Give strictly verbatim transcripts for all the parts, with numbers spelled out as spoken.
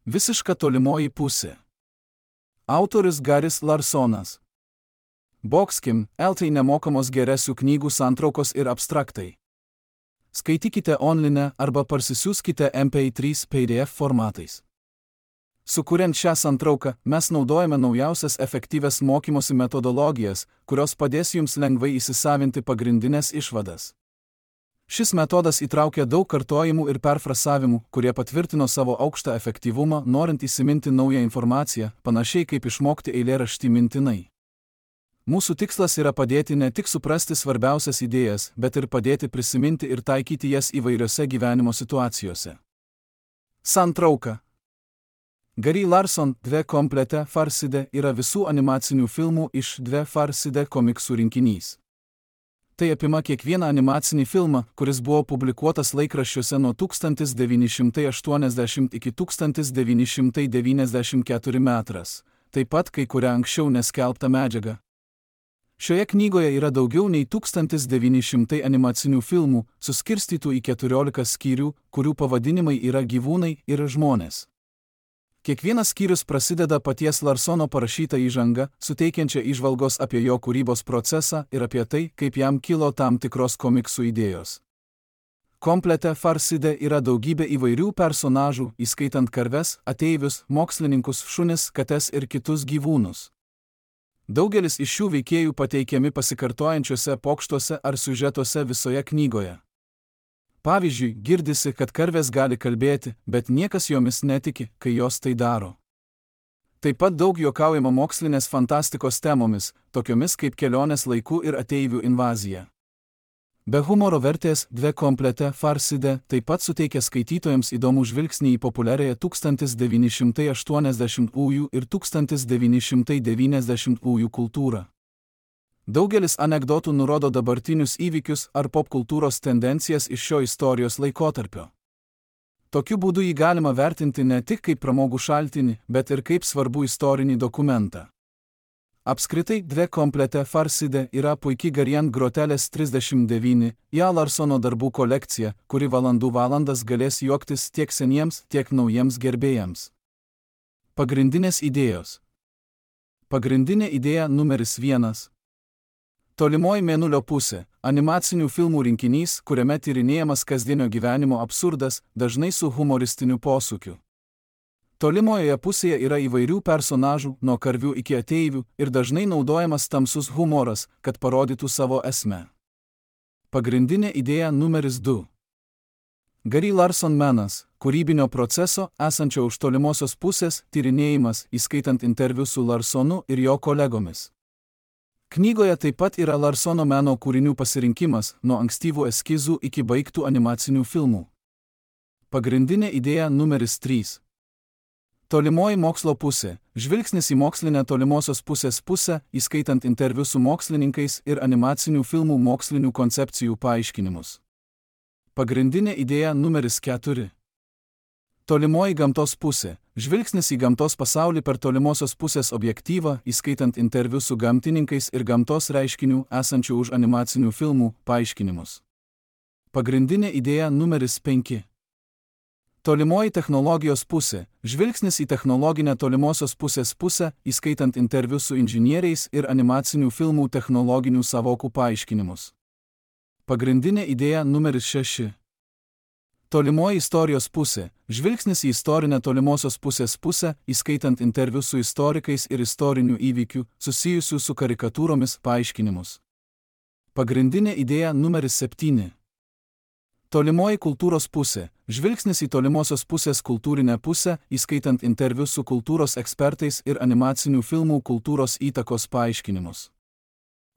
Visiška tolimoji pusė. Autorius Garis Larsonas. Boxkim, eltai nemokamos geresių knygų santraukos ir abstraktai. Skaitykite online arba parsisiųskite M P trys P D F formatais. Sukuriant šią santrauką, mes naudojame naujausias efektyvias mokymosi metodologijas, kurios padės jums lengvai įsisavinti pagrindinės išvadas. Šis metodas įtraukia daug kartojimų ir perfrasavimų, kurie patvirtino savo aukštą efektyvumą, norint įsiminti naują informaciją, panašiai kaip išmokti eilėraštį mintinai. Mūsų tikslas yra padėti ne tik suprasti svarbiausias idėjas, bet ir padėti prisiminti ir taikyti jas įvairiose gyvenimo situacijose. Santrauka. Gary Larson Dve komplete Farside yra visų animacinių filmų iš Dve Farside komiksų rinkinys. Tai apima kiekvieną animacinį filmą, kuris buvo publikuotas laikraščiuose nuo tūkstantis devyni šimtai aštuoniasdešimt iki tūkstantis devyni šimtai devyniasdešimt keturi metras, taip pat kai kuria anksčiau neskelbta medžiaga. Šioje knygoje yra daugiau nei tūkstantis devyni šimtai animacinių filmų, suskirstytų į keturiolika skyrių, kurių pavadinimai yra gyvūnai ir žmonės. Kiekvienas skyrius prasideda paties Larsono parašyta įžanga, suteikiančia įžvalgos apie jo kūrybos procesą ir apie tai, kaip jam kilo tam tikros komiksų idėjos. Komplete Farside yra daugybė įvairių personažų, įskaitant karves, ateivius, mokslininkus, šunis, kates ir kitus gyvūnus. Daugelis iš šių veikėjų pateikiami pasikartojančiuose pokštuose ar siužetuose visoje knygoje. Pavyzdžiui, girdisi, kad karvės gali kalbėti, bet niekas jomis netiki, kai jos tai daro. Taip pat daug juokaujama mokslinės fantastikos temomis, tokiomis kaip kelionės laikų ir ateivių invazija. Be humoro vertės Dve komplete Farside taip pat suteikia skaitytojams įdomų žvilgsnį į populiariąją tūkstantis devyni šimtai aštuoniasdešimtųjų ir tūkstantis devyni šimtai devyniasdešimtųjų kultūrą. Daugelis anekdotų nurodo dabartinius įvykius ar popkultūros tendencijas iš šio istorijos laikotarpio. Tokiu būdu jį galima vertinti ne tik kaip pramogų šaltinį, bet ir kaip svarbų istorinį dokumentą. Apskritai, Dve komplete Farside yra puiki Garian Grotelės trisdešimt devyni, ją Larsono darbų kolekcija, kuri valandų valandas galės juoktis tiek seniems, tiek naujiems gerbėjams. Pagrindinės idėjos. Pagrindinė idėja numeris vienas. Tolimoji mėnulio pusė – animacinių filmų rinkinys, kuriame tyrinėjamas kasdienio gyvenimo absurdas, dažnai su humoristiniu posūkiu. Tolimojoje pusėje yra įvairių personažų, nuo karvių iki ateivių, ir dažnai naudojamas tamsus humoras, kad parodytų savo esmę. Pagrindinė idėja numeris du. Gary Larson menas – kūrybinio proceso, esančio už tolimosios pusės, tyrinėjimas, įskaitant interviu su Larsonu ir jo kolegomis. Knygoje taip pat yra Larsono meno kūrinių pasirinkimas, nuo ankstyvų eskizų iki baigtų animacinių filmų. Pagrindinė idėja numeris trys. Tolimoji mokslo pusė – žvilgsnis į mokslinę tolimosios pusės pusę, įskaitant interviu su mokslininkais ir animacinių filmų mokslinių koncepcijų paaiškinimus. Pagrindinė idėja numeris keturi. Tolimoji gamtos pusė – žvilgsnis į gamtos pasaulį per tolimosios pusės objektyvą, įskaitant interviu su gamtininkais ir gamtos reiškinių esančių už animacinių filmų paaiškinimus. Pagrindinė idėja numeris penki. Tolimoji technologijos pusė – žvilgsnis į technologinę tolimosios pusės pusę, įskaitant interviu su inžinieriais ir animacinių filmų technologinių sąvokų paaiškinimus. Pagrindinė idėja numeris šeši. Tolimoji istorijos pusė – žvilgsnis į istorinę tolimosios pusės pusę, įskaitant interviu su istorikais ir istorinių įvykių, susijusių su karikatūromis paaiškinimus. Pagrindinė idėja numeris septyni. Tolimoji kultūros pusė – žvilgsnis į tolimosios pusės kultūrinę pusę, įskaitant interviu su kultūros ekspertais ir animacinių filmų kultūros įtakos paaiškinimus.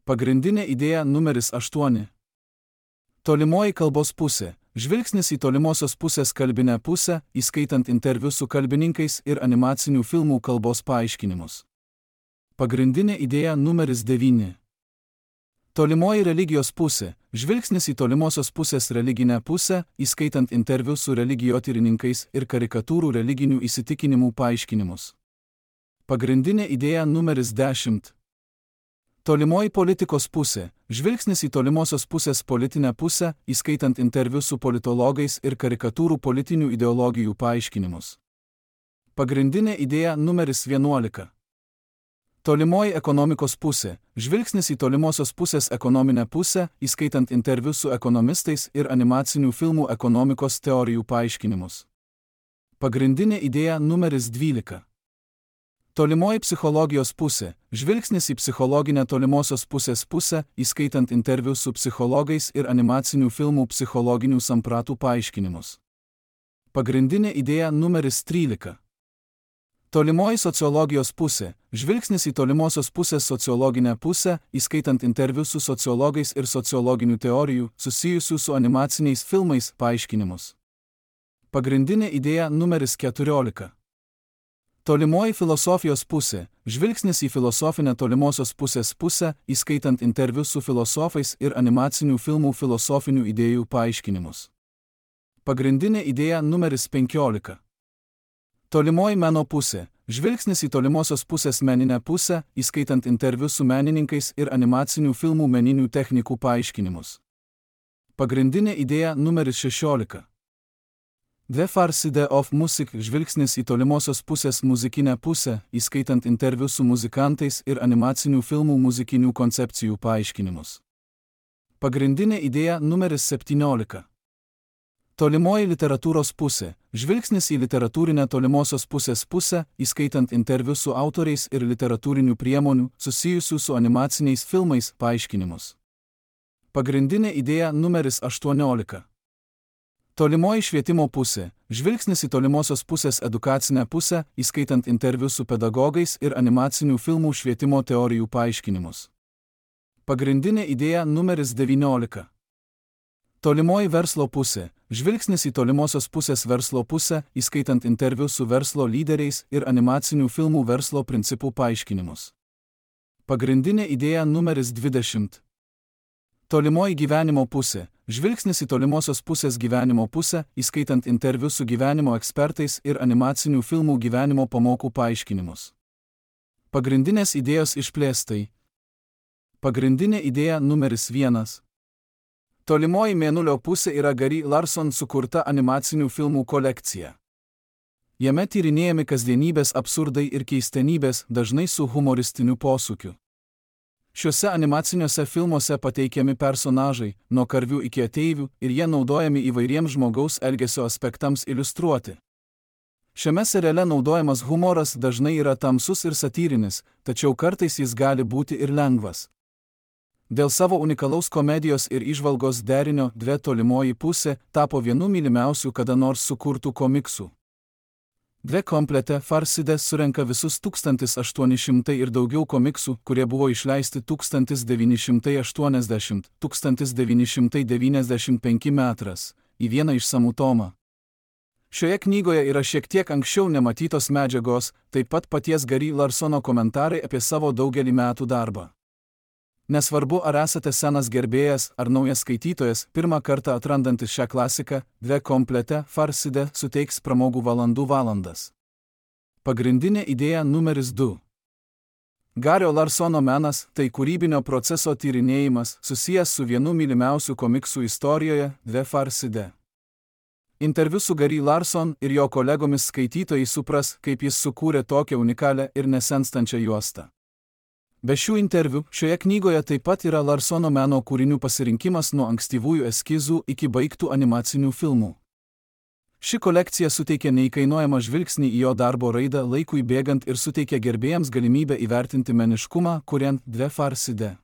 Pagrindinė idėja numeris aštuoni. Tolimoji kalbos pusė – žvilgsnis į tolimosios pusės kalbinę pusę, įskaitant interviu su kalbininkais ir animacinių filmų kalbos paaiškinimus. Pagrindinė idėja numeris devyni. Tolimoji religijos pusė – žvilgsnis į tolimosios pusės religinę pusę, įskaitant interviu su religijotyrininkais ir karikatūrų religinių įsitikinimų paaiškinimus. Pagrindinė idėja numeris dešimt. Tolimoji politikos pusė – žvilgsnis į tolimosios pusės politinę pusę, įskaitant interviu su politologais ir karikatūrų politinių ideologijų paaiškinimus. Pagrindinė idėja numeris vienuolika. Tolimoji ekonomikos pusė. Žvilgsnis į tolimosios pusės ekonominę pusę, įskaitant interviu su ekonomistais ir animacinių filmų ekonomikos teorijų paaiškinimus. Pagrindinė idėja numeris dvylika. Tolimoji psichologijos pusė. Žvilgsnis į psichologinę tolimosios pusės pusę, įskaitant interviu su psichologais ir animacinių filmų psichologinių sampratų paaiškinimus. Pagrindinė idėja numeris trylika. Tolimoji sociologijos pusė. Žvilgsnis į tolimosios pusės sociologinę pusę, įskaitant interviu su sociologais ir sociologinių teorijų, susijusių su animaciniais filmais, paaiškinimus. Pagrindinė idėja numeris keturiolika. Tolimoji filosofijos pusė. Žvilgsnis į filosofinę tolimosios pusės pusę, įskaitant interviu su filosofais ir animacinių filmų filosofinių idėjų paaiškinimus. Pagrindinė idėja numeris penkiolika. Tolimoji meno pusė. Žvilgsnis į tolimosios pusės meninę pusę, įskaitant interviu su menininkais ir animacinių filmų meninių technikų paaiškinimus. Pagrindinė idėja numeris šešiolika. The Far Side of Music. Žvilgsnis į tolimosios pusės muzikinę pusę, įskaitant interviu su muzikantais ir animacinių filmų muzikinių koncepcijų paaiškinimus. Pagrindinė idėja numeris septyniolika. Tolimoji literatūros pusė. Žvilgsnis į literatūrinę tolimosios pusės pusę, įskaitant interviu su autoriais ir literatūrinių priemonių, susijusių su animaciniais filmais, paaiškinimus. Pagrindinė idėja numeris aštuoniolika. Tolimoji švietimo pusė. Žvilgsnis į tolimosios pusės edukacinę pusę, įskaitant interviu su pedagogais ir animacinių filmų švietimo teorijų paaiškinimus. Pagrindinė idėja numeris devyniolika. Tolimoji verslo pusė. Žvilgsnis į tolimosios pusės verslo pusę, įskaitant interviu su verslo lyderiais ir animacinių filmų verslo principų paaiškinimus. Pagrindinė idėja numeris dvidešimt. Tolimoji gyvenimo pusė. Žvilgsnis į tolimosios pusės gyvenimo pusę, įskaitant interviu su gyvenimo ekspertais ir animacinių filmų gyvenimo pamokų paaiškinimus. Pagrindinės idėjos išplėstai. Pagrindinė idėja numeris vienas. Tolimoji mėnulio pusė yra Gary Larson sukurta animacinių filmų kolekcija. Jame tyrinėjami kasdienybės absurdai ir keistenybės, dažnai su humoristiniu posūkiu. Šiuose animaciniuose filmuose pateikiami personažai, nuo karvių iki ateivių, ir jie naudojami įvairiems žmogaus elgesio aspektams iliustruoti. Šiame seriale naudojamas humoras dažnai yra tamsus ir satyrinis, tačiau kartais jis gali būti ir lengvas. Dėl savo unikalaus komedijos ir įžvalgos derinio Dve tolimoji pusė tapo vienu mylimiausių kada nors sukurtų komiksų. Dve komplete Far Side surenka visus tūkstantis aštuoni šimtai ir daugiau komiksų, kurie buvo išleisti tūkstantis devyni šimtai aštuoniasdešimt - tūkstantis devyni šimtai devyniasdešimt penki metras, į vieną išsamų tomą. Šioje knygoje yra šiek tiek anksčiau nematytos medžiagos, taip pat paties Gary Larsono komentarai apie savo daugelį metų darbą. Nesvarbu, ar esate senas gerbėjas ar naujas skaitytojas, pirmą kartą atrandantis šią klasiką, Dve komplete Far Side suteiks pramogų valandų valandas. Pagrindinė idėja numeris du. Gario Larsono menas – tai kūrybinio proceso tyrinėjimas, susijęs su vienu mylimiausių komiksų istorijoje, Dve Far Side. Interviu su Gary Larson ir jo kolegomis skaitytojai supras, kaip jis sukūrė tokią unikalią ir nesenstančią juostą. Be šių interviu, šioje knygoje taip pat yra Larsono meno kūrinių pasirinkimas nuo ankstyvųjų eskizų iki baigtų animacinių filmų. Ši kolekcija suteikia neįkainojamą žvilgsnį į jo darbo raidą laikui bėgant ir suteikia gerbėjams galimybę įvertinti meniškumą, kuriant Dve Far Side.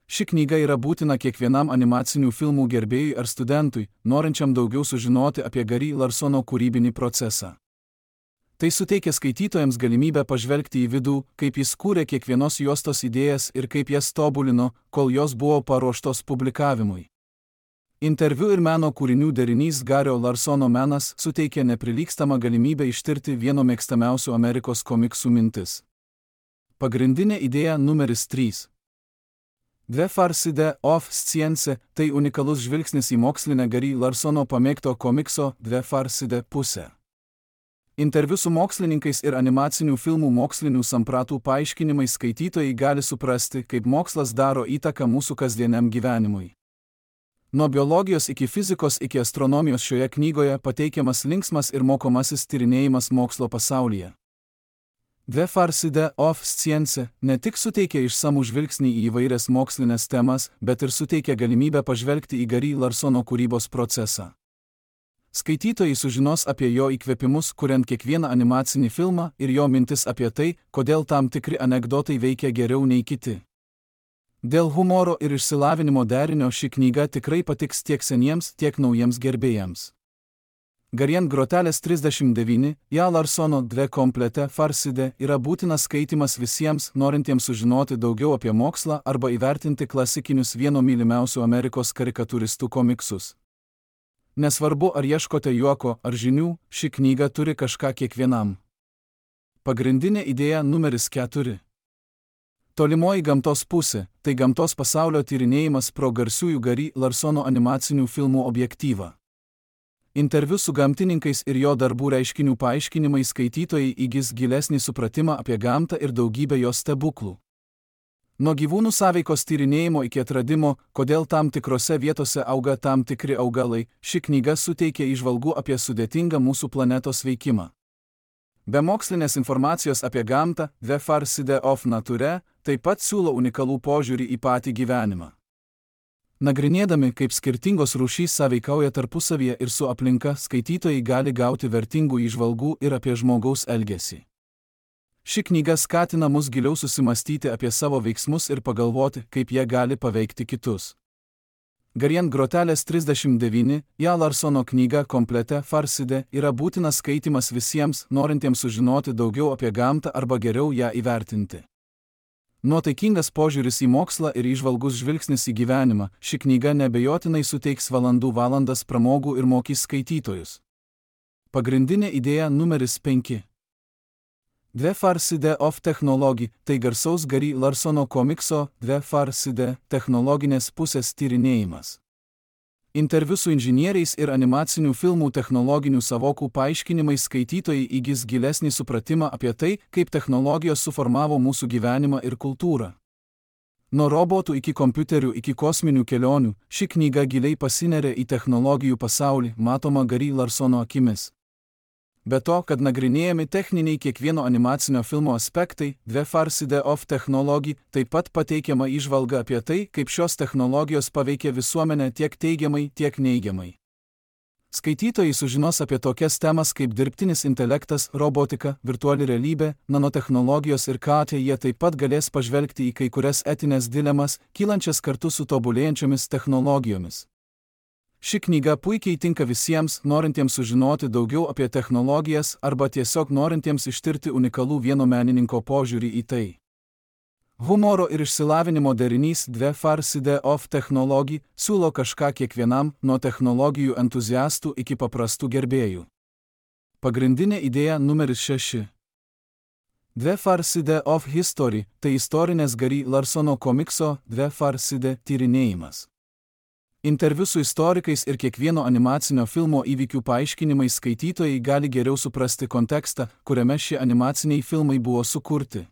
Ši knyga yra būtina kiekvienam animacinių filmų gerbėjui ar studentui, norinčiam daugiau sužinoti apie Gary Larsono kūrybinį procesą. Tai suteikia skaitytojams galimybę pažvelgti į vidų, kaip jis kūrė kiekvienos juostos idėjas ir kaip jas tobulino, kol jos buvo paruoštos publikavimui. Interviu ir meno kūrinių derinys Gario Larsono menas suteikia neprilygstamą galimybę ištirti vieno mėgstamiausių Amerikos komiksų mintis. Pagrindinė idėja numeris trys. Dve Far Side of Science – tai unikalus žvilgsnis į mokslinę Gary Larsono pamėgto komikso Dve Far Side pusę. Interviu su mokslininkais ir animacinių filmų mokslinių sampratų paaiškinimai skaitytojai gali suprasti, kaip mokslas daro įtaką mūsų kasdieniam gyvenimui. Nuo biologijos iki fizikos iki astronomijos šioje knygoje pateikiamas linksmas ir mokomasis tyrinėjimas mokslo pasaulyje. The Farcide of Science ne tik suteikia išsamų žvilgsnį į įvairias mokslinės temas, bet ir suteikia galimybę pažvelgti į Gary Larsono kūrybos procesą. Skaitytojai sužinos apie jo įkvėpimus, kuriant kiekvieną animacinį filmą, ir jo mintis apie tai, kodėl tam tikri anekdotai veikia geriau nei kiti. Dėl humoro ir išsilavinimo derinio ši knyga tikrai patiks tiek seniems, tiek naujiems gerbėjams. Garien grotelės trisdešimt devyni, ja Larsono dve komplete Farcide yra būtinas skaitimas visiems, norintiems sužinoti daugiau apie mokslą arba įvertinti klasikinius vieno mylimiausių Amerikos karikatūristų komiksus. Nesvarbu, ar ieškote juoko ar žinių, ši knyga turi kažką kiekvienam. Pagrindinė idėja numeris keturi. Tolimoji gamtos pusė – tai gamtos pasaulio tyrinėjimas pro garsiųjų Gary Larsono animacinių filmų objektyvą. Interviu su gamtininkais ir jo darbų reiškinių paaiškinimai skaitytojai įgis gilesnį supratimą apie gamtą ir daugybę jos stebuklų. Nuo gyvūnų sąveikos tyrinėjimo iki atradimo, kodėl tam tikrose vietose auga tam tikri augalai, ši knyga suteikia įžvalgų apie sudėtingą mūsų planetos veikimą. Be mokslinės informacijos apie gamtą, The Farcide of Nature taip pat siūlo unikalų požiūrį į patį gyvenimą. Nagrinėdami, kaip skirtingos rūšys sąveikauja tarpusavyje ir su aplinka, skaitytojai gali gauti vertingų įžvalgų ir apie žmogaus elgesį. Ši knyga skatina mus giliau susimastyti apie savo veiksmus ir pagalvoti, kaip jie gali paveikti kitus. Garien grotelės trisdešimt devyni, ja Larsono knyga komplete Farcide yra būtinas skaitimas visiems, norintiems sužinoti daugiau apie gamtą arba geriau ją įvertinti. Nuotaikingas požiūris į mokslą ir įžvalgus žvilgsnis į gyvenimą, ši knyga nebejotinai suteiks valandų valandas pramogų ir mokys skaitytojus. Pagrindinė idėja numeris penki. The Farcide of Technology – tai garsaus Gary Larsono komikso The Farcide technologinės pusės tyrinėjimas. Interviu su inžinieriais ir animacinių filmų technologinių savokų paaiškinimais skaitytojai įgis gilesnį supratimą apie tai, kaip technologijos suformavo mūsų gyvenimą ir kultūrą. Nuo robotų iki kompiuterių iki kosminių kelionių, ši knyga giliai pasineria į technologijų pasaulį, matoma Gary Larsono akimis. Be to, kad nagrinėjami techniniai kiekvieno animacinio filmo aspektai, The Farcide of Technology taip pat pateikiama įžvalga apie tai, kaip šios technologijos paveikia visuomenę tiek teigiamai, tiek neigiamai. Skaitytojai sužinos apie tokias temas kaip dirbtinis intelektas, robotika, virtuali realybė, nanotechnologijos ir ką jie taip pat galės pažvelgti į kai kurias etinės dilemas, kylančias kartu su tobulėjančiomis technologijomis. Ši knyga puikiai tinka visiems, norintiems sužinoti daugiau apie technologijas arba tiesiog norintiems ištirti unikalų vieno menininko požiūrį į tai. Humoro ir išsilavinimo derinys The Farcide of Technology siūlo kažką kiekvienam, nuo technologijų entuziastų iki paprastų gerbėjų. Pagrindinė idėja numeris šeši. The Farcide of History – tai istorinės Gary Larsono komikso The Farcide tyrinėjimas. Interviu su istorikais ir kiekvieno animacinio filmo įvykių paaiškinimais skaitytojai gali geriau suprasti kontekstą, kuriame šie animaciniai filmai buvo sukurti.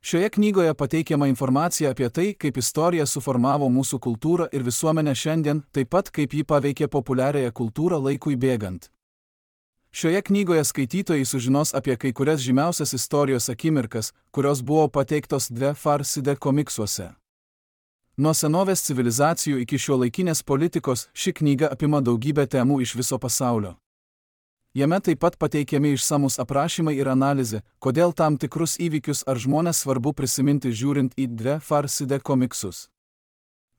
Šioje knygoje pateikiama informacija apie tai, kaip istorija suformavo mūsų kultūrą ir visuomenę šiandien, taip pat kaip ji paveikė populiariąją kultūrą laikui bėgant. Šioje knygoje skaitytojai sužinos apie kai kurias žymiausias istorijos akimirkas, kurios buvo pateiktos The Farcide komiksuose. Nuo senovės civilizacijų iki šiuolaikinės politikos, ši knyga apima daugybę temų iš viso pasaulio. Jame taip pat pateikiami išsamus aprašymai ir analizė, kodėl tam tikrus įvykius ar žmones svarbu prisiminti žiūrint į The Farcide komiksus.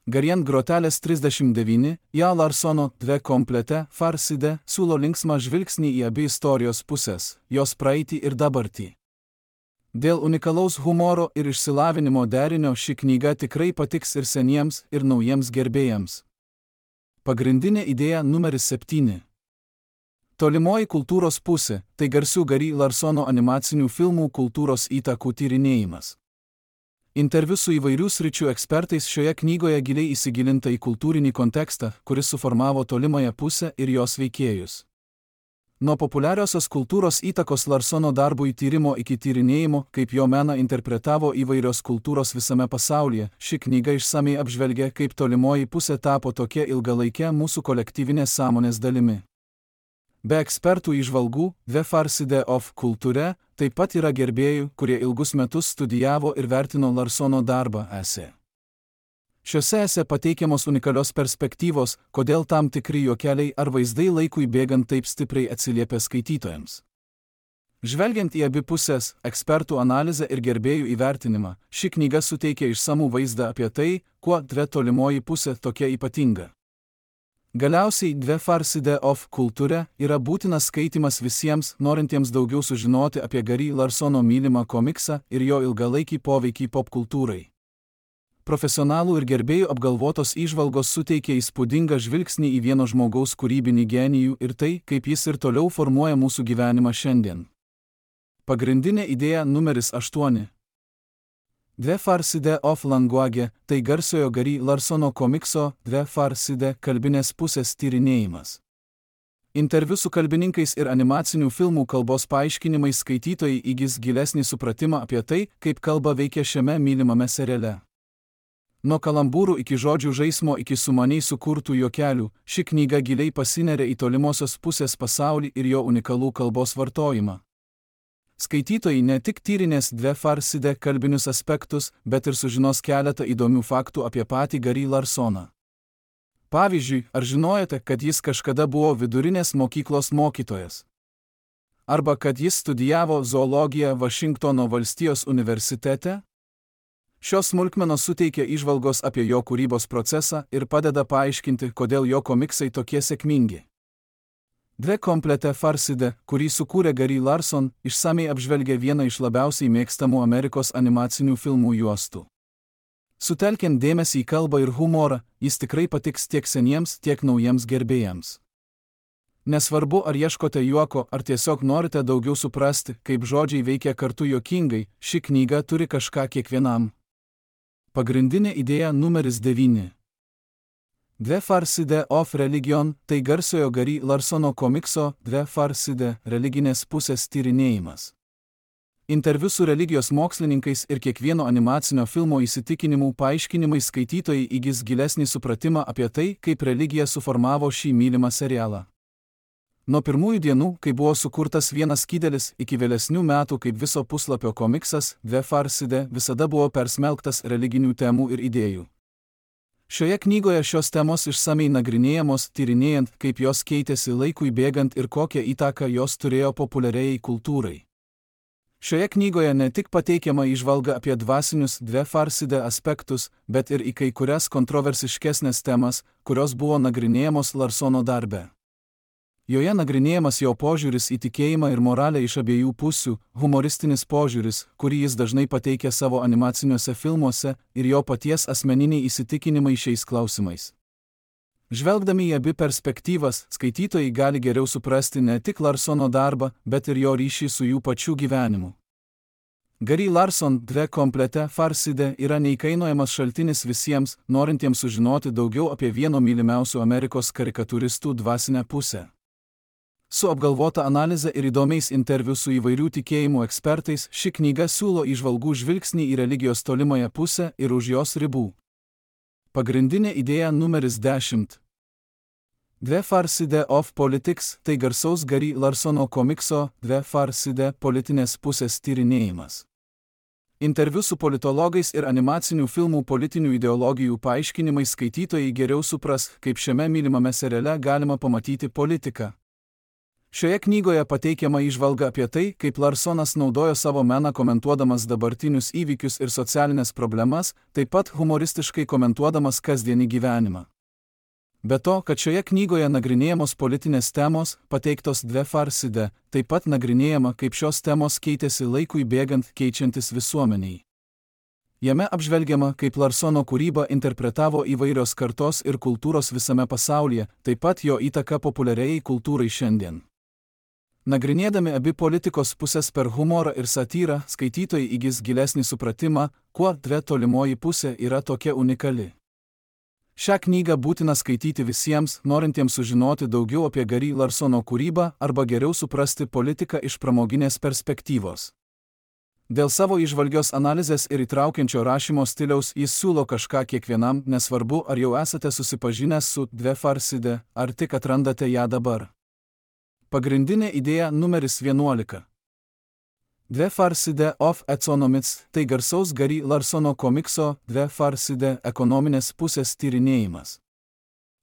Garien grotelės trisdešimt devyni, ja Larsono dve komplete Farcide siūlo linksmą žvilgsnį į abi istorijos pusės, jos praeitį ir dabartį. Dėl unikalaus humoro ir išsilavinimo derinio ši knyga tikrai patiks ir seniems, ir naujiems gerbėjams. Pagrindinė idėja numeris septyni. Tolimoji kultūros pusė – tai garsių Gary Larsono animacinių filmų kultūros įtakų tyrinėjimas. Interviu su įvairių sričių ekspertais šioje knygoje giliai įsigilinta į kultūrinį kontekstą, kuris suformavo tolimąją pusę ir jos veikėjus. Nuo populiariosios kultūros įtakos Larsono darbui tyrimo iki tyrinėjimo, kaip jo meną interpretavo įvairios kultūros visame pasaulyje, ši knyga išsamiai apžvelgia, kaip tolimoji pusė tapo tokia ilgalaikė mūsų kolektyvinės sąmonės dalimi. Be ekspertų įžvalgų, The Far Side of Culture taip pat yra gerbėjų, kurie ilgus metus studijavo ir vertino Larsono darbą esė. Šiuose esė pateikiamos unikalios perspektyvos, kodėl tam tikri juokeliai ar vaizdai laikui bėgant taip stipriai atsiliepia skaitytojams. Žvelgiant į abi pusės, ekspertų analizę ir gerbėjų įvertinimą, ši knyga suteikia išsamų vaizdą apie tai, kuo dve tolimoji pusė tokia ypatinga. Galiausiai The Far Side of Culture yra būtinas skaitymas visiems, norintiems daugiau sužinoti apie Gary Larsono mylimą komiksą ir jo ilgalaikį poveikį popkultūrai. Profesionalų ir gerbėjų apgalvotos įžvalgos suteikia įspūdingą žvilgsnį į vieno žmogaus kūrybinį genijų ir tai, kaip jis ir toliau formuoja mūsų gyvenimą šiandien. Pagrindinė idėja numeris aštuoni. The Far Side of Language – tai garsiojo Gary Larsono komikso The Far Side kalbinės pusės tyrinėjimas. Interviu su kalbininkais ir animacinių filmų kalbos paaiškinimais skaitytojai įgis gilesnį supratimą apie tai, kaip kalba veikia šiame mylimame seriale. Nuo kalambūrų iki žodžių žaismo iki sumaniai sukurtų juokelių, ši knyga giliai pasineria į tolimosios pusės pasaulį ir jo unikalų kalbos vartojimą. Skaitytojai ne tik tyrinės The Far Side kalbinius aspektus, bet ir sužinos keletą įdomių faktų apie patį Gary Larsoną. Pavyzdžiui, ar žinojote, kad jis kažkada buvo vidurinės mokyklos mokytojas? Arba kad jis studijavo zoologiją Vašingtono valstijos universitete? Šios smulkmenos suteikia įžvalgos apie jo kūrybos procesą ir padeda paaiškinti, kodėl jo komiksai tokie sėkmingi. The Complete Far Side, kurį sukūrė Gary Larson, išsamiai apžvelgia vieną iš labiausiai mėgstamų Amerikos animacinių filmų juostų. Sutelkiant dėmesį į kalbą ir humorą, jis tikrai patiks tiek seniems, tiek naujiems gerbėjams. Nesvarbu, ar ieškote juoko, ar tiesiog norite daugiau suprasti, kaip žodžiai veikia kartu juokingai, ši knyga turi kažką kiekvienam. Pagrindinė idėja numeris devyni. The Far Side of Religion – tai garsiojo Gary Larsono komikso The Far Side religinės pusės tyrinėjimas. Interviu su religijos mokslininkais ir kiekvieno animacinio filmo įsitikinimų paaiškinimai skaitytojai įgis gilesnį supratimą apie tai, kaip religija suformavo šį mylimą serialą. Nuo pirmųjų dienų, kai buvo sukurtas vienas skydelis, iki vėlesnių metų kaip viso puslapio komiksas, The Far Side visada buvo persmelktas religinių temų ir idėjų. Šioje knygoje šios temos išsamiai nagrinėjamos, tyrinėjant, kaip jos keitėsi laikui bėgant ir kokią įtaką jos turėjo populiariai kultūrai. Šioje knygoje ne tik pateikiama įžvalga apie dvasinius The Far Side aspektus, bet ir į kai kurias kontroversiškesnės temas, kurios buvo nagrinėjamos Larsono darbe. Joje nagrinėjamas jo požiūris į tikėjimą ir moralę iš abiejų pusių, humoristinis požiūris, kurį jis dažnai pateikia savo animaciniuose filmuose, ir jo paties asmeniniai įsitikinimai šiais klausimais. Žvelgdami į abi perspektyvas, skaitytojai gali geriau suprasti ne tik Larsono darbą, bet ir jo ryšį su jų pačių gyvenimu. Gary Larson The Complete Far Side yra neįkainojamas šaltinis visiems, norintiems sužinoti daugiau apie vieno mylimiausių Amerikos karikatūristų dvasinę pusę. Su apgalvota analize ir įdomiais interviu su įvairių tikėjimų ekspertais, ši knyga siūlo įžvalgų žvilgsnį į religijos tolimąją pusę ir už jos ribų. Pagrindinė idėja numeris dešimt. The Far Side of Politics – tai garsaus Gary Larsono komikso The Far Side politinės pusės tyrinėjimas. Interviu su politologais ir animacinių filmų politinių ideologijų paaiškinimai skaitytojai geriau supras, kaip šiame mylimame seriale galima pamatyti politiką. Šioje knygoje pateikiama įžvalga apie tai, kaip Larsonas naudojo savo meną komentuodamas dabartinius įvykius ir socialinės problemas, taip pat humoristiškai komentuodamas kasdienį gyvenimą. Be to, kad šioje knygoje nagrinėjamos politinės temos, pateiktos The Far Side, taip pat nagrinėjama, kaip šios temos keitėsi laikui bėgant, keičiantis visuomeniai. Jame apžvelgiama, kaip Larsono kūrybą interpretavo įvairios kartos ir kultūros visame pasaulyje, taip pat jo įtaka populiariai kultūrai šiandien. Nagrinėdami abi politikos pusės per humorą ir satyrą, skaitytojai įgis gilesnį supratimą, kuo dve tolimoji pusė yra tokia unikali. Šią knygą būtina skaityti visiems, norintiems sužinoti daugiau apie Gary Larsono kūrybą arba geriau suprasti politiką iš pramoginės perspektyvos. Dėl savo įžvalgios analizės ir įtraukiančio rašymo stiliaus jis siūlo kažką kiekvienam, nesvarbu, ar jau esate susipažinęs su Dve Farside, ar tik atrandate ją dabar. Pagrindinė idėja numeris vienuolika. Dve Farside of Economics – tai garsaus Gary Larsono komikso Dve Farside ekonominės pusės tyrinėjimas.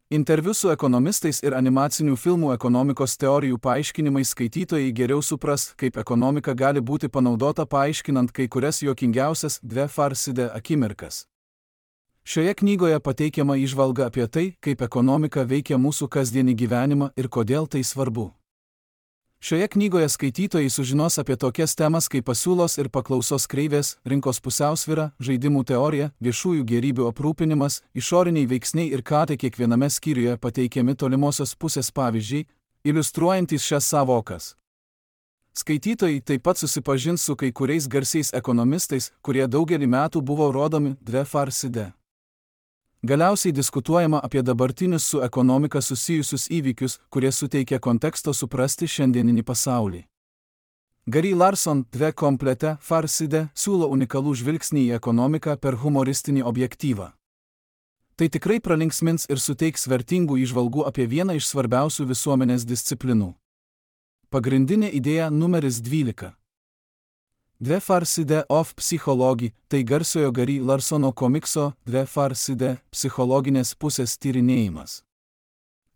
Interviu su ekonomistais ir animacinių filmų ekonomikos teorijų paaiškinimai skaitytojai geriau supras, kaip ekonomika gali būti panaudota paaiškinant kai kurias juokingiausias Dve Farside akimirkas. Šioje knygoje pateikiama įžvalga apie tai, kaip ekonomika veikia mūsų kasdienį gyvenimą ir kodėl tai svarbu. Šioje knygoje skaitytojai sužinos apie tokias temas kaip pasiūlos ir paklausos kreivės, rinkos pusiausvyra, žaidimų teorija, viešųjų gėrybių aprūpinimas, išoriniai veiksniai ir ką tai kiekviename skyriuje pateikiami tolimosios pusės pavyzdžiai, iliustruojantys šias savokas. Skaitytojai taip pat susipažins su kai kuriais garsiais ekonomistais, kurie daugelį metų buvo rodomi Dve Farside. Galiausiai diskutuojama apie dabartinius su ekonomika susijusius įvykius, kurie suteikia konteksto suprasti šiandieninį pasaulį. Gary Larson Dve komplete Farside siūlo unikalų žvilgsnį į ekonomiką per humoristinį objektyvą. Tai tikrai pralinksmins ir suteiks vertingų įžvalgų apie vieną iš svarbiausių visuomenės disciplinų. Pagrindinė idėja numeris dvylika. Dve Farside of Psychology – tai garsiojo Gary Larsono komikso Dve Farside psichologinės pusės tyrinėjimas.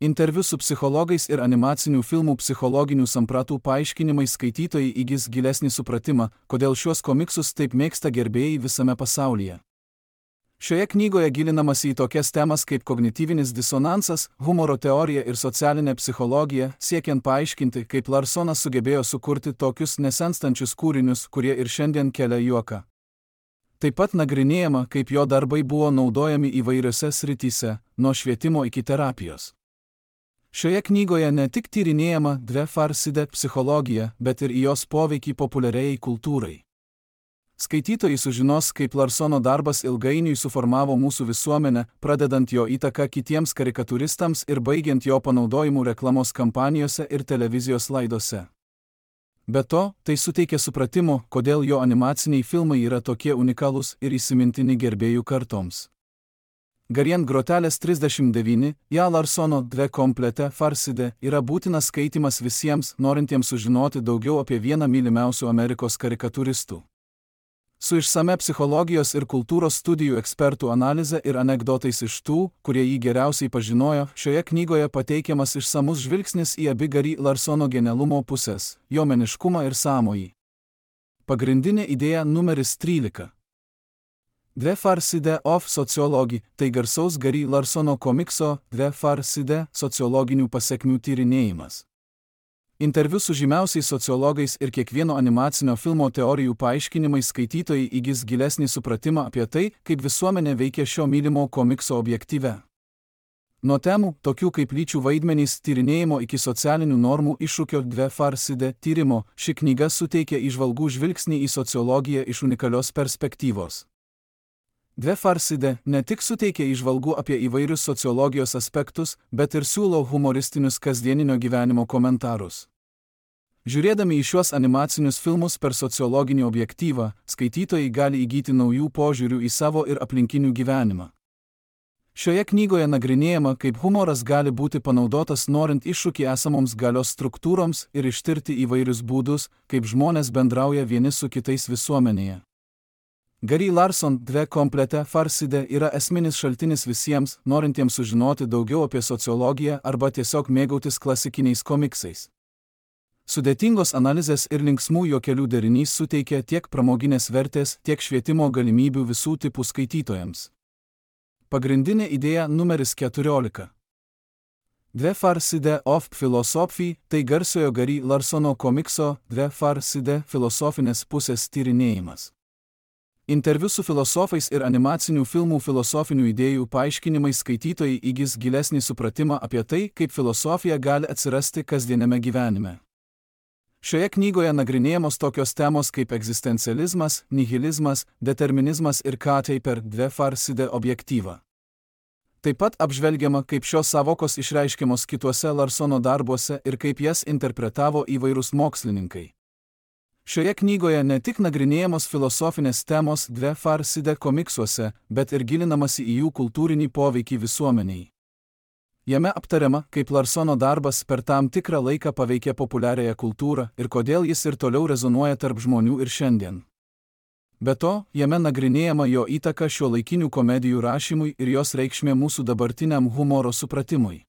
Interviu su psichologais ir animacinių filmų psichologinių sampratų paaiškinimai skaitytojai įgis gilesnį supratimą, kodėl šiuos komiksus taip mėgsta gerbėjai visame pasaulyje. Šioje knygoje gilinamasi į tokias temas kaip kognityvinis disonansas, humoro teorija ir socialinė psichologija, siekiant paaiškinti, kaip Larsonas sugebėjo sukurti tokius nesenstančius kūrinius, kurie ir šiandien kelia juoką. Taip pat nagrinėjama, kaip jo darbai buvo naudojami įvairiose srityse, nuo švietimo iki terapijos. Šioje knygoje ne tik tyrinėjama Dve Farside psichologija, bet ir į jos poveikį populiariai kultūrai. Skaitytojai sužinos, kaip Larsono darbas ilgainiui suformavo mūsų visuomenę, pradedant jo įtaką kitiems karikatūristams ir baigiant jo panaudojimu reklamos kampanijose ir televizijos laidose. Be to, tai suteikia supratimo, kodėl jo animaciniai filmai yra tokie unikalūs ir įsimintini gerbėjų kartoms. Garien grotelės trisdešimt devyni, ją Larsono Dve komplete Farside yra būtinas skaitimas visiems, norintiems sužinoti daugiau apie vieną mylimiausių Amerikos karikatūristų. Su išsame psichologijos ir kultūros studijų ekspertų analize ir anekdotais iš tų, kurie jį geriausiai pažinojo, šioje knygoje pateikiamas išsamus žvilgsnis į abi Gary Larsono genialumo pusės – jo meniškumą ir sąmojį. Pagrindinė idėja numeris trylika. Dve Farside of Sociology – tai garsaus Gary Larsono komikso Dve Farside sociologinių pasekmių tyrinėjimas. Interviu su žymiausiais sociologais ir kiekvieno animacinio filmo teorijų paaiškinimai skaitytojai įgis gilesnį supratimą apie tai, kaip visuomenė veikia šio mylimo komikso objektyve. Nuo temų, tokių kaip lyčių vaidmenys tyrinėjimo iki socialinių normų iššūkio Dve Farside tyrimo, ši knyga suteikia įžvalgų žvilgsnį į sociologiją iš unikalios perspektyvos. Dve Farside ne tik suteikia įžvalgų apie įvairius sociologijos aspektus, bet ir siūlo humoristinius kasdieninio gyvenimo komentarus. Žiūrėdami į šiuos animacinius filmus per sociologinį objektyvą, skaitytojai gali įgyti naujų požiūrių į savo ir aplinkinių gyvenimą. Šioje knygoje nagrinėjama, kaip humoras gali būti panaudotas norint iššūkį esamoms galios struktūroms ir ištirti įvairius būdus, kaip žmonės bendrauja vieni su kitais visuomenėje. Gary Larson Dve komplete Farside yra esminis šaltinis visiems, norintiems sužinoti daugiau apie sociologiją arba tiesiog mėgautis klasikiniais komiksais. Sudėtingos analizės ir linksmų juokelių derinys suteikia tiek pramoginės vertės, tiek švietimo galimybių visų tipų skaitytojams. Pagrindinė idėja numeris keturiolika. Dve Farside of Philosophy – tai garsiojo Gary Larsono komikso Dve Farside filosofinės pusės tyrinėjimas. Interviu su filosofais ir animacinių filmų filosofinių idėjų paaiškinimai skaitytojai įgis gilesnį supratimą apie tai, kaip filosofija gali atsirasti kasdieniame gyvenime. Šioje knygoje nagrinėjamos tokios temos kaip egzistencializmas, nihilizmas, determinizmas ir ką tai per Dve Farside objektyvą. Taip pat apžvelgiama, kaip šios savokos išreiškiamos kituose Larsono darbuose ir kaip jas interpretavo įvairūs mokslininkai. Šioje knygoje ne tik nagrinėjamos filosofinės temos Dve Farside komiksuose, bet ir gilinamasi į jų kultūrinį poveikį visuomeniai. Jame aptariama, kaip Larsono darbas per tam tikrą laiką paveikė populiariąją kultūrą ir kodėl jis ir toliau rezonuoja tarp žmonių ir šiandien. Be to, jame nagrinėjama jo įtaka šiuolaikinių komedijų rašymui ir jos reikšmė mūsų dabartiniam humoro supratimui.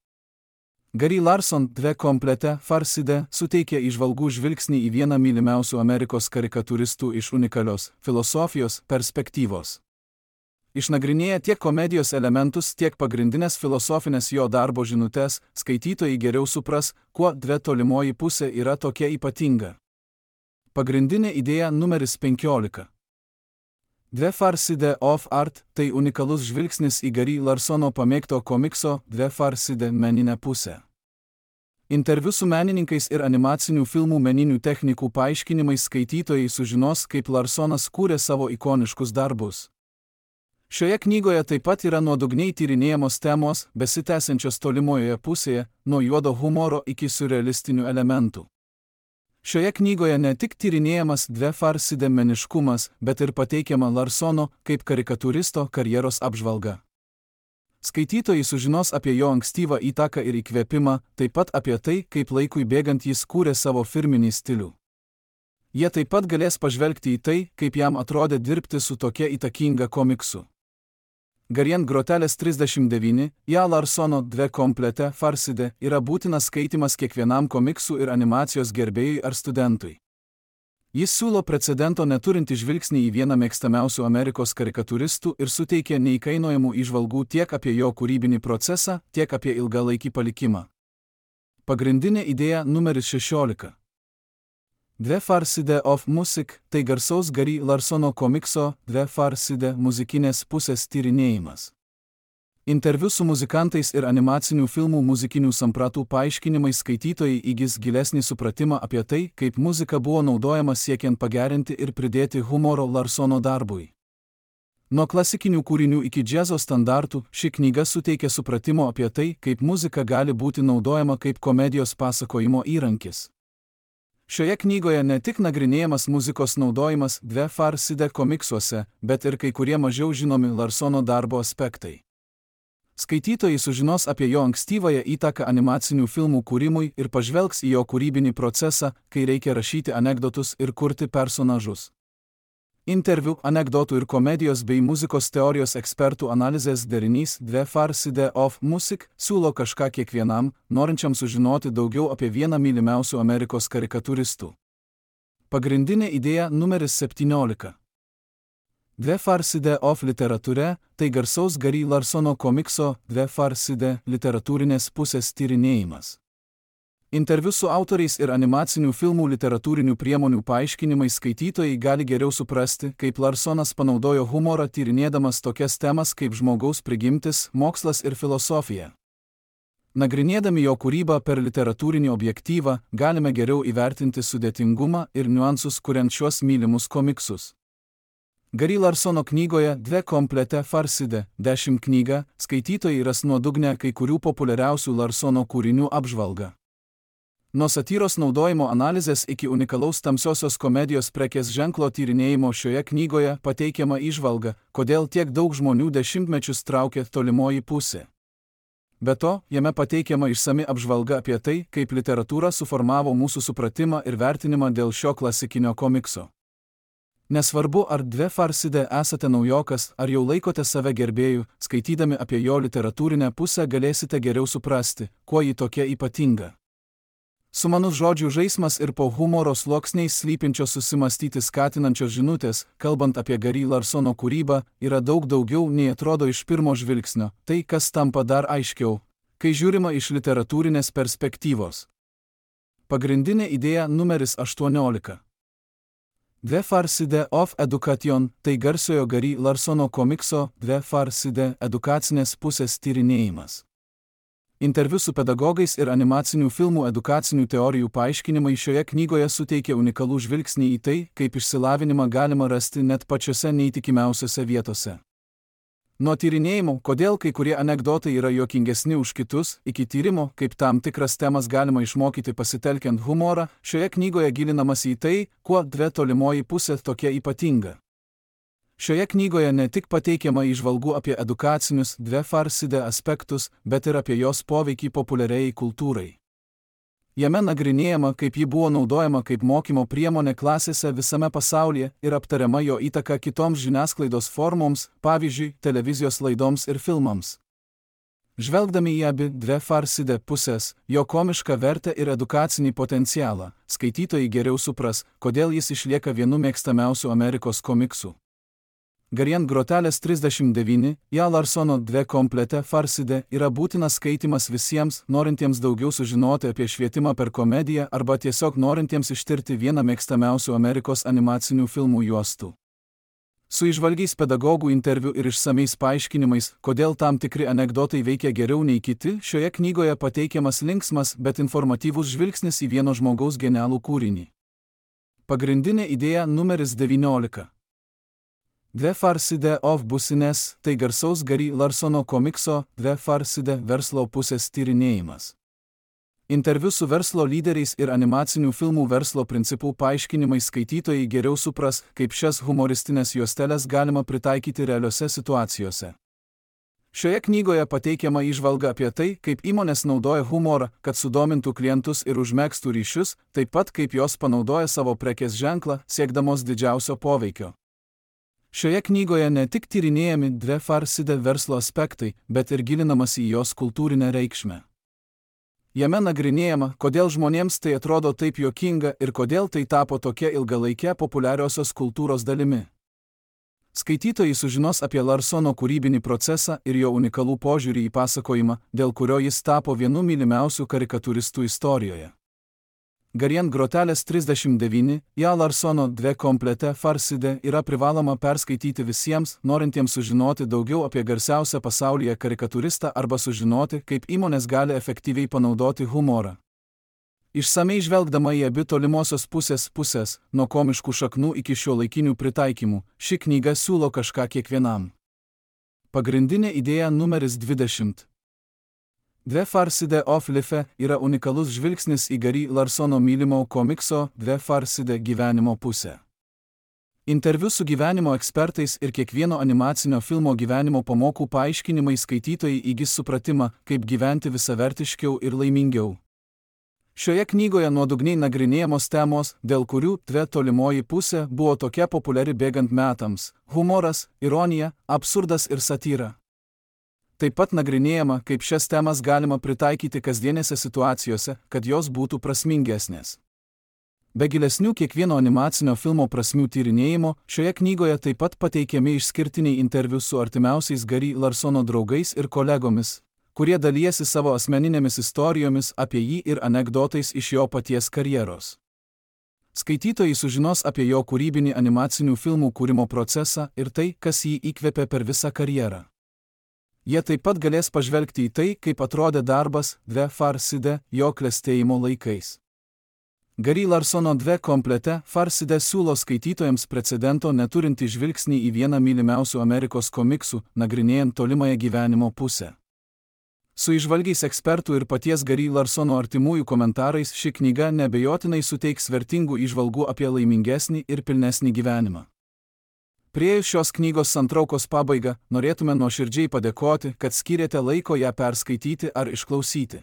Gary Larson Dve komplete Farside suteikia įžvalgų žvilgsnį į vieną mylimiausių Amerikos karikatūristų iš unikalios filosofijos perspektyvos. Išnagrinėję tiek komedijos elementus, tiek pagrindinės filosofinės jo darbo žinutes, skaitytojai geriau supras, kuo Dve tolimoji pusė yra tokia ypatinga. Pagrindinė idėja numeris penkiolika. Dve Farside of Art – tai unikalus žvilgsnis į Gary Larsono pamėgto komikso Dve Farside meninę pusę. Interviu su menininkais ir animacinių filmų meninių technikų paaiškinimais skaitytojai sužinos, kaip Larsonas kūrė savo ikoniškus darbus. Šioje knygoje taip pat yra nuodugniai tyrinėjamos temos, besitęsiančios tolimojoje pusėje, nuo juodo humoro iki siurrealistinių elementų. Šioje knygoje ne tik tyrinėjamas Dve Farside meniškumas, bet ir pateikiama Larsono kaip karikatūristo karjeros apžvalga. Skaitytojai sužinos apie jo ankstyvą įtaką ir įkvėpimą, taip pat apie tai, kaip laikui bėgant jis kūrė savo firminį stilių. Jie taip pat galės pažvelgti į tai, kaip jam atrodė dirbti su tokia įtakinga komiksu. Garien grotelės trisdešimt devyni, ja Larsono Dve komplete Farside yra būtinas skaitimas kiekvienam komiksų ir animacijos gerbėjui ar studentui. Jis siūlo precedento neturintį žvilgsnį į vieną mėgstamiausių Amerikos karikatūristų ir suteikia neįkainojamų įžvalgų tiek apie jo kūrybinį procesą, tiek apie ilgalaikį palikimą. Pagrindinė idėja numeris šešiolika. Dve Farside of Music – tai garsaus Gary Larsono komikso Dve Farside muzikinės pusės tyrinėjimas. Interviu su muzikantais ir animacinių filmų muzikinių sampratų paaiškinimais skaitytojai įgis gilesnį supratimą apie tai, kaip muzika buvo naudojama siekiant pagerinti ir pridėti humoro Larsono darbui. Nuo klasikinių kūrinių iki džiazo standartų, ši knyga suteikia supratimo apie tai, kaip muzika gali būti naudojama kaip komedijos pasakojimo įrankis. Šioje knygoje ne tik nagrinėjamas muzikos naudojimas Dve Farside komiksuose, bet ir kai kurie mažiau žinomi Larsono darbo aspektai. Skaitytojai sužinos apie jo ankstyvąją įtaką animacinių filmų kūrimui ir pažvelgs į jo kūrybinį procesą, kai reikia rašyti anekdotus ir kurti personažus. Interviu, anekdotų ir komedijos bei muzikos teorijos ekspertų analizės derinys Dve Farside of Music siūlo kažką kiekvienam, norinčiam sužinoti daugiau apie vieną mylimiausių Amerikos karikatūristų. Pagrindinė idėja numeris septyniolika. Dve Farside of literatūre – tai garsaus Gary Larsono komikso Dve Farside literatūrinės pusės tyrinėjimas. Interviu su autoriais ir animacinių filmų literatūrinių priemonių paaiškinimais skaitytojai gali geriau suprasti, kaip Larsonas panaudojo humorą tyrinėdamas tokias temas kaip žmogaus prigimtis, mokslas ir filosofija. Nagrinėdami jo kūrybą per literatūrinį objektyvą, galime geriau įvertinti sudėtingumą ir niuansus kuriant šiuos mylimus komiksus. Gary Larsono knygoje Dve komplete Farside dešimt knyga skaitytojai ras nuodugnę kai kurių populiariausių Larsono kūrinių apžvalgą. Nuo satyros naudojimo analizės iki unikalaus tamsiosios komedijos prekės ženklo tyrinėjimo šioje knygoje pateikiama įžvalga, kodėl tiek daug žmonių dešimtmečius traukė tolimoji pusė. Be to, jame pateikiama išsami apžvalga apie tai, kaip literatūra suformavo mūsų supratimą ir vertinimą dėl šio klasikinio komikso. Nesvarbu, ar Dve Farside esate naujokas, ar jau laikote save gerbėjų, skaitydami apie jo literatūrinę pusę galėsite geriau suprasti, kuo ji tokia ypatinga. Sumanus žodžių žaismas ir po humoro sluoksniais slypinčios susimastyti skatinančios žinutės, kalbant apie Gary Larsono kūrybą, yra daug daugiau nei atrodo iš pirmo žvilgsnio, tai kas tampa dar aiškiau, kai žiūrima iš literatūrinės perspektyvos. Pagrindinė idėja numeris aštuoniolika. Dve Farside of Education – tai garsiojo Gary Larsono komikso Dve Farside edukacinės pusės tyrinėjimas. Interviu su pedagogais ir animacinių filmų edukacinių teorijų paaiškinimai šioje knygoje suteikia unikalų žvilgsnį į tai, kaip išsilavinimą galima rasti net pačiose neįtikimiausiose vietose. Nuo tyrinėjimų, kodėl kai kurie anekdotai yra juokingesni už kitus, iki tyrimo, kaip tam tikras temas galima išmokyti pasitelkiant humorą, šioje knygoje gilinamasi į tai, kuo Dve tolimoji pusė tokia ypatinga. Šioje knygoje ne tik pateikiama įžvalgų apie edukacinius Dve Farsidė aspektus, bet ir apie jos poveikį populiariai kultūrai. Jame nagrinėjama, kaip ji buvo naudojama kaip mokymo priemonė klasėse visame pasaulyje ir aptariama jo įtaka kitoms žiniasklaidos formoms, pavyzdžiui, televizijos laidoms ir filmams. Žvelgdami į abi Dve Farsidė pusės, jo komišką vertę ir edukacinį potencialą, skaitytojai geriau supras, kodėl jis išlieka vienu mėgstamiausių Amerikos komiksų. Garien grotelės trisdešimt devyni, Ja Larsono Dve komplete Farsidė yra būtinas skaitimas visiems, norintiems daugiau sužinoti apie švietimą per komediją arba tiesiog norintiems ištirti vieną mėgstamiausių Amerikos animacinių filmų juostų. Su įžvalgiais pedagogų interviu ir išsamiais paaiškinimais, kodėl tam tikri anekdotai veikia geriau nei kiti, šioje knygoje pateikiamas linksmas, bet informatyvus žvilgsnis į vieno žmogaus genialų kūrinį. Pagrindinė idėja numeris devyniolika. Dve Farsidė of Business – tai garsaus Gary Larsono komikso Dve Farsidė verslo pusės tyrinėjimas. Interviu su verslo lyderiais ir animacinių filmų verslo principų paaiškinimais skaitytojai geriau supras, kaip šias humoristinės juosteles galima pritaikyti realiose situacijose. Šioje knygoje pateikiama įžvalga apie tai, kaip įmonės naudoja humorą, kad sudomintų klientus ir užmegztų ryšius, taip pat kaip jos panaudoja savo prekės ženklą, siekdamos didžiausio poveikio. Šioje knygoje ne tik tyrinėjami Dve Farsidė verslo aspektai, bet ir gilinamasi į jos kultūrinę reikšmę. Jame nagrinėjama, kodėl žmonėms tai atrodo taip juokinga ir kodėl tai tapo tokia ilgalaikė populiariosios kultūros dalimi. Skaitytojai sužinos apie Larsono kūrybinį procesą ir jo unikalų požiūrį į pasakojimą, dėl kurio jis tapo vienu mylimiausių karikatūristų istorijoje. Garien grotelės trisdešimt devyni, Ja Larsono Dve komplete Farsidė yra privaloma perskaityti visiems, norintiems sužinoti daugiau apie garsiausią pasaulyje karikatūristą arba sužinoti, kaip įmonės gali efektyviai panaudoti humorą. Išsamei žvelgdama į abi tolimosios pusės pusės, nuo komiškų šaknų iki šiuolaikinių pritaikymų, ši knyga siūlo kažką kiekvienam. Pagrindinė idėja numeris dvidešimt. Dve Farsidė of Life yra unikalus žvilgsnis į Gary Larsono mylimo komikso Dve Farsidė gyvenimo pusę. Interviu su gyvenimo ekspertais ir kiekvieno animacinio filmo gyvenimo pamokų paaiškinimai skaitytojai įgis supratimą, kaip gyventi visavertiškiau ir laimingiau. Šioje knygoje nuodugniai nagrinėjamos temos, dėl kurių Dve tolimoji pusė buvo tokia populiari bėgant metams – humoras, ironija, absurdas ir satyra. Taip pat nagrinėjama, kaip šias temas galima pritaikyti kasdienėse situacijose, kad jos būtų prasmingesnės. Be gilesnių kiekvieno animacinio filmo prasmių tyrinėjimo, šioje knygoje taip pat pateikiami išskirtiniai interviu su artimiausiais Gary Larsono draugais ir kolegomis, kurie dalijasi savo asmeninėmis istorijomis apie jį ir anekdotais iš jo paties karjeros. Skaitytojai sužinos apie jo kūrybinį animacinių filmų kūrimo procesą ir tai, kas jį įkvėpė per visą karjerą. Jie taip pat galės pažvelgti į tai, kaip atrodė darbas Dve Farsidė jo klestėjimo laikais. Gary Larsono Dve komplete Farsidė siūlo skaitytojams precedento neturintį žvilgsnį į vieną mylimiausių Amerikos komiksų, nagrinėjant tolimąją gyvenimo pusę. Su įžvalgiais ekspertų ir paties Gary Larsono artimųjų komentarais ši knyga neabejotinai suteiks vertingų įžvalgų apie laimingesnį ir pilnesnį gyvenimą. Priėjus šios knygos santraukos pabaigą, norėtume nuoširdžiai padėkoti, kad skyrėte laiko ją perskaityti ar išklausyti.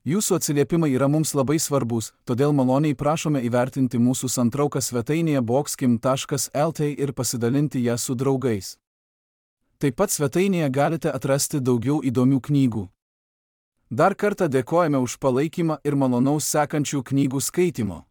Jūsų atsiliepimai yra mums labai svarbus, todėl maloniai prašome įvertinti mūsų santrauką svetainėje boxkim taškas lt ir pasidalinti ją su draugais. Taip pat svetainėje galite atrasti daugiau įdomių knygų. Dar kartą dėkojame už palaikymą ir malonaus sekančių knygų skaitimo.